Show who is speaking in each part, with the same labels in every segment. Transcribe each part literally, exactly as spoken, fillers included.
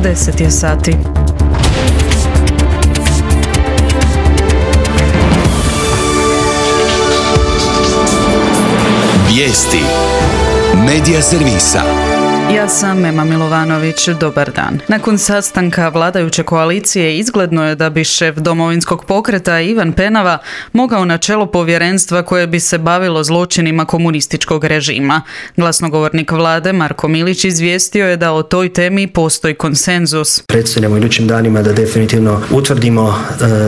Speaker 1: deset je sati.
Speaker 2: Vijesti Medija servisa.
Speaker 1: Ja sam Ema Milovanović, dobar dan. Nakon sastanka vladajuće koalicije izgledno je da bi šef Domovinskog pokreta Ivan Penava mogao na čelo povjerenstva koje bi se bavilo zločinima komunističkog režima. Glasnogovornik vlade Marko Milić izvijestio je da o toj temi postoji konsenzus.
Speaker 3: Predstavljamo idućim danima da definitivno utvrdimo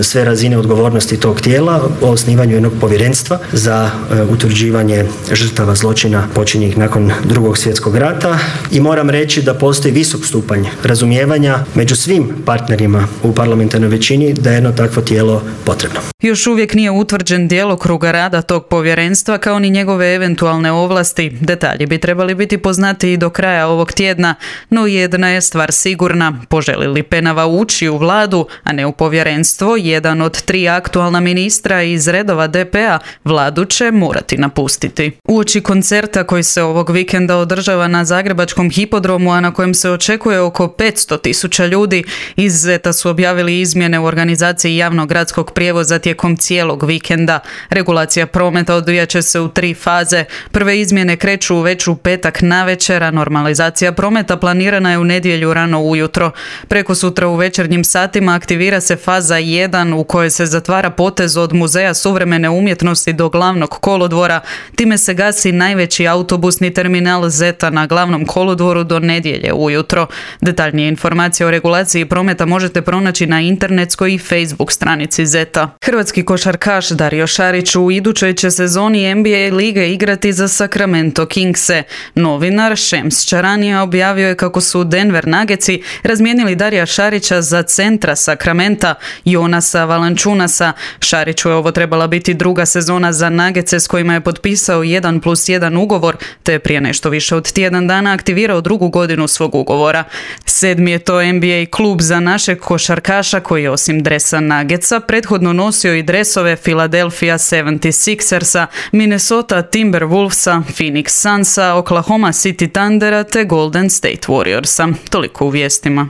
Speaker 3: e, sve razine odgovornosti tog tijela o osnivanju jednog povjerenstva za e, utvrđivanje žrtava zločina počinjenih nakon Drugog svjetskog rata. I moram reći da postoji visok stupanj razumijevanja među svim partnerima u parlamentarnoj većini da je jedno takvo tijelo potrebno.
Speaker 1: Još uvijek nije utvrđen djelokrug rada tog povjerenstva kao ni njegove eventualne ovlasti. Detalji bi trebali biti poznati i do kraja ovog tjedna, no jedna je stvar sigurna. Poželi li Penava ući u vladu, a ne u povjerenstvo, jedan od tri aktualna ministra iz redova D P-a vladu će morati napustiti. Uoči koncerta koji se ovog vikenda održava na Zagrebačkom hipodromu, a na kojem se očekuje oko petsto tisuća ljudi, iz Zeta su objavili izmjene u organizaciji javnog gradskog prijevoza tijekom cijelog vikenda. Regulacija prometa odvijat će se u tri faze. Prve izmjene kreću već u petak navečer, a normalizacija prometa planirana je u nedjelju rano ujutro. Preko sutra u večernjim satima aktivira se faza jedan u kojoj se zatvara potez od Muzeja suvremene umjetnosti do glavnog kolodvora. Time se gasi najveći autobusni terminal Zeta na glavnom kolodvoru do nedjelje ujutro. Detaljnije informacije o regulaciji prometa možete pronaći na internetskoj i Facebook stranici Zeta. Hrvatski košarkaš Dario Šarić u idućoj će sezoni N B A lige igrati za Sacramento Kingse. Novinar Šems Čaranija objavio je kako su Denver Nuggetsi razmijenili Darija Šarića za centra Sacramenta, Jonasa Valančunasa. Šariću je ovo trebala biti druga sezona za Nuggetse s kojima je potpisao jedan plus jedan ugovor, te prije nešto više od tjedan dana aktivirao drugu godinu svog ugovora. Sedmi je to N B A klub za našeg košarkaša koji je osim dresa Nuggetsa prethodno nosio i dresove Philadelphia sedamdeset šestersa, Minnesota Timberwolvesa, Phoenix Sunsa, Oklahoma City Thundera te Golden State Warriorsa. Toliko u vijestima.